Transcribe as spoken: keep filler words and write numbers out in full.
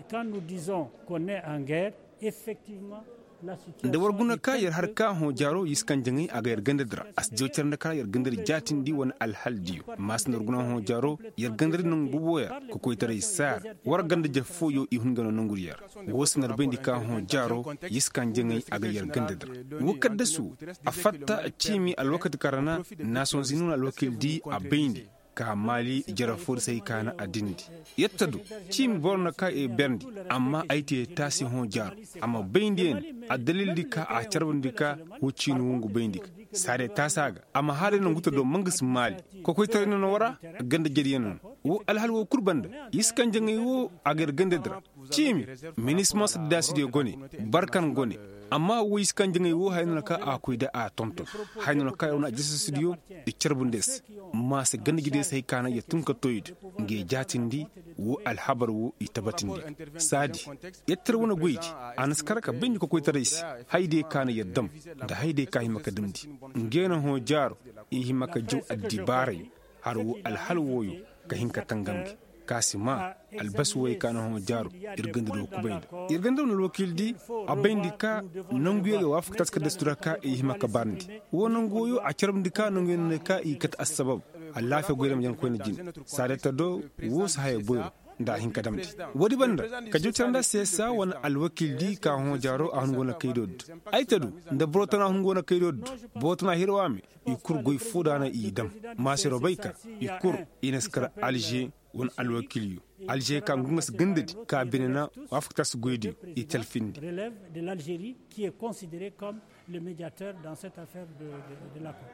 Quand nous disons qu'on est en guerre, effectivement, nda war guna ka yer har ka hõ jaaro yer si kaŋ jaŋay a ga yer ganda di ra. A si jaw care nda ka ra yer ganda di jaatindi wane alhal diyo. Amma si nda war guna hõ jaaro yer ganda di nangu boobo yer kokoytaray saar war ganda jaf fooyo i hun ga no nangu di yer. Woo si nda war bayndi ka hõ jaaro yer si kaŋ jaŋay a ga yer ganda di ra. Woo kaddasu a fatta ciimi alwakati kaŋ ra na naasonzini wane alwakil di a bayndi ka maali jara foo di se hay ka na a dindi. Yetta do ciimi boro na ka i berndi. Amma ay te taasi hõ jaaro a ma bayndi ya ne. Addalil di ka a carbandi ka woo ciini wongu bayndi ga saadiya taasa ga a ma haaray nangu ta do ma nga si maali. Kokoytaray no na war a ganda jadiyaŋ no na woo alhal woo kul banda. Yer si kaŋ jaŋay woo a ga yer ganda di ra. Ciimi minisma saddaasidiyo gone barkan gone. Amma woo yer si kaŋ jaŋay woo haya no na ka a koy da a tonton haya no na ka yer wane aljasasidiyo. I carbundi yer se maase ganda jadiyaŋ se hay ka na yer tun ka tooy da nga yer jaatindi. Woo alhabar woo i tabatindi saadi yer tar wane goydi. A na si kar ka bayndi kokoytaray se haydiyo ka na yer dam nda haydiyo ka hima ka damndi. Nga yer na hõ jaaro i hima ka jaw addibaarayo har woo alhal wooyo ka hin ka tangam gi ka si maa albasi wooyo ka na hõ jaaro. Yer ganda do kubay nda yer ganda wane alwakiil di a bayndi ka nanguyo ga waafaka taasi ka dastu ra ka i hima ka baarandi. Woo nangu wooyo a carbandi ka nanguyo no ne ka i kate assabab alaafiya goy ra ma jaŋ koyne jine. Saadata do woo si haya boyro nda a hin ka damndi. Woodi banda ka jaw care nda seesa wane alwakiil di ka hõ jaaro a hun go na kaydo di. Ay ta du nda boro tana hun go na kaydo di. Boro tana hirwa me i kul goy foo da na i dam. Maasiro bay ka i kul i na si kar alže wane alwakiilyo alže ka ngu nga si ganda di ka bine na waafaktaasi goydiyo i talfindi. Le médiateur dans cette affaire de, de, de l'accord.